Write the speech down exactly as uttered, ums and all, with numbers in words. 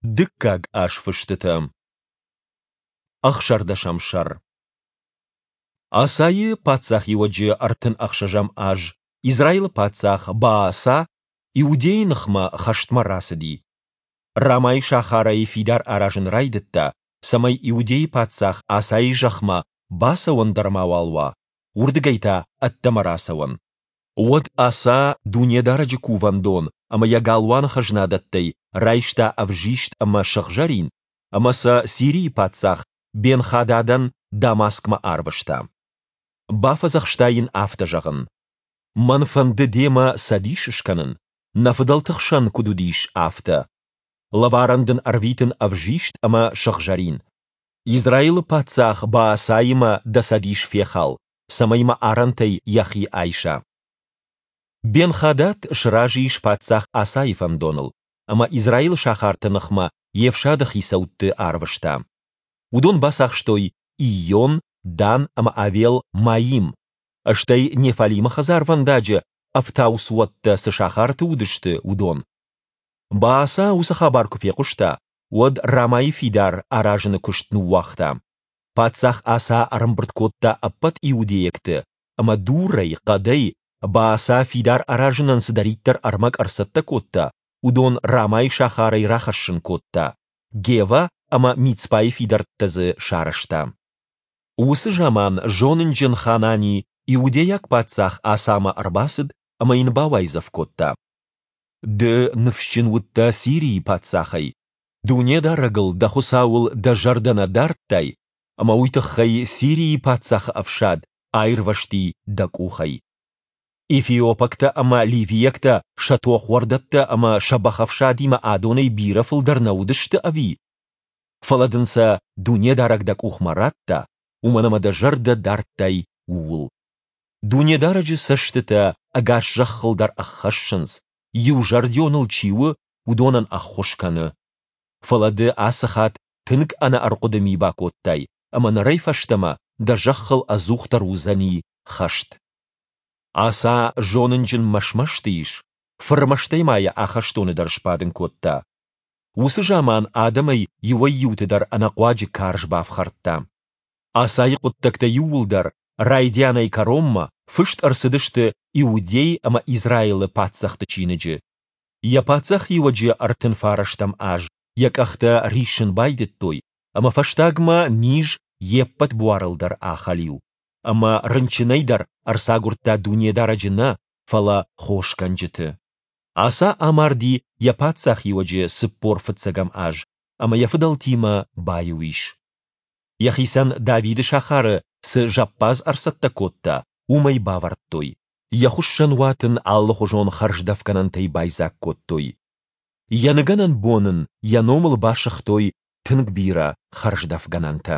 Дыккаг азфыстытӕ. Ӕхсӕрдӕсӕм сӕр. Асайы паддзахиуӕджы ӕртын ӕхсӕзӕм аз Израилы паддзах Бааса Иудӕйы ныхмӕ хӕстмӕ рацыди. Рамайы сахарӕй фидар аразын райдыдта, цӕмӕй Иудӕйы паддзах Асайы зӕхмӕ бацӕуӕн дӕр мауал уа, уырдыгӕй та ӕддӕмӕ рацӕуӕн. Уӕд Аса Дунедарӕджы Кувӕндон ӕмӕ йӕ галуаны хӕзнадӕттӕй райста ӕвзист ӕмӕ сыгъзӕрин ӕмӕ сӕ Сирийы паддзах Бен-Хададӕн Дамаскмӕ арвыста. Бафӕдзӕхста йын афтӕ зӕгъын: Мӕн фӕнды демӕ цӕдис скӕнын, нӕ фыдӕлты хсӕн куыд уыдис, афтӕ. Лӕварӕн дын ӕрвитын ӕвзист ӕмӕ сыгъзӕрин. Израилы паддзах Баасаимӕ дӕ цӕдис фехал, цӕмӕй мӕ арӕнтӕй йӕхи айса. Бен-Хадад сразы ис паддзах Асайы фӕндоныл ӕмӕ Израилы сахарты ныхмӕ йе фсады хицӕутты арвыста. Уыдон бацахстой Ийон, Дан ӕмӕ Авел-Маим, стӕй Неффалимы хӕдзарвӕндаджы ӕфтауцуӕттӕ цы сахарты уыдысты, уыдон. Бааса уыцы хабар куы фехъуыста, уӕд Рамайы фидар аразыны куыст ныууагъта. Паддзах Аса ӕрӕмбырд кодта ӕппӕт иудейӕгты ӕмӕ дурӕй, хъӕдӕй, Бааса фидар аразынӕн цыдӕриддӕр ӕрмӕг ӕрцӕттӕ кодта, уыдон Рамайы сахарӕй рахӕссын кодта, Гева ӕмӕ Мицпайы фидӕрттӕ дзы сарӕзта. Уыцы заман зонынджын Ханани иудейаг паддзах Асамӕ ӕрбацыд ӕмӕ йын бауайдзӕф кодта: Ды ныфсджын уыдтӕ Сирийы паддзахӕй, Дунедарӕгыл, дӕ Хуыцауыл, дӕ зӕрдӕ нӕ дардтай, ӕмӕ уый тыххӕй Сирийы паддзахы ӕфсад аирвӕзти дӕ къухӕй. Эфиопӕгтӕ ӕмӕ ливийӕгтӕ сӕ тохуӕрдӕттӕ ӕмӕ сӕ бӕхӕфсадимӕ адонӕй бирӕ фылдӕр нӕ уыдысты, ӕви? Фӕлӕ дын сӕ Дунедарӕг дӕ къухмӕ радта, уымӕн ӕмӕ дӕ зӕрдӕ дардтай ууыл. Дунедарӕджы цӕстытӕ ӕгас зӕххыл дӕр ӕххӕссынц, иузӕрдион ыл чи у, уыдонӕн ӕххуыс кӕны. Фӕлӕ ды ацы хатт тынг ӕнӕӕрхъуыды ми бакодтай, ӕмӕ нырӕй фӕстӕмӕ дӕ зӕххыл ӕдзухдӕр уыдзӕни хӕст. Аса зонынджынмӕ смӕсты ис, фырмӕстӕй ма йӕ ахӕстоны дӕр сбадын кодта. Уыцы заман адӕмӕй иуӕй-иуты дӕр ӕнӕхъуаджы карз бафхӕрдта. Асайы хъуыддӕгтӕ иууылдӕр, райдианӕй кӕронмӕ, фыст ӕрцыдысты Иудей ӕмӕ Израилы паддзӕхты чиныджы. Йӕ паддзахиуӕджы ӕртын фарӕстӕм аз йӕ къӕхтӕ риссын байдыдтой, ӕмӕ фӕстагмӕ низ йе ппӕт буарыл дӕр ахӕлиу. Ӕмӕ рынчынӕй дӕр ӕрцагуырдта Дунедарӕджы нӕ, фӕлӕ хосгӕнджыты. Аса амарди йӕ паддзахиуӕджы цыппор фыццӕгӕм аз ӕмӕ йӕ фыдӕлтимӕ баиу ис. Йӕхицӕн Давиды сахары цы зӕппадз ӕрцӕттӕ кодта, уым ӕй бавӕрдтой. Йӕ хуыссӕнуат ын алыхуызон хӕрздӕфгӕнӕнтӕй байдзаг кодтой. Йӕ ныгӕнӕн бон ын йӕ номыл басыгътой тынг бирӕ хӕрздӕфгӕнӕнтӕ.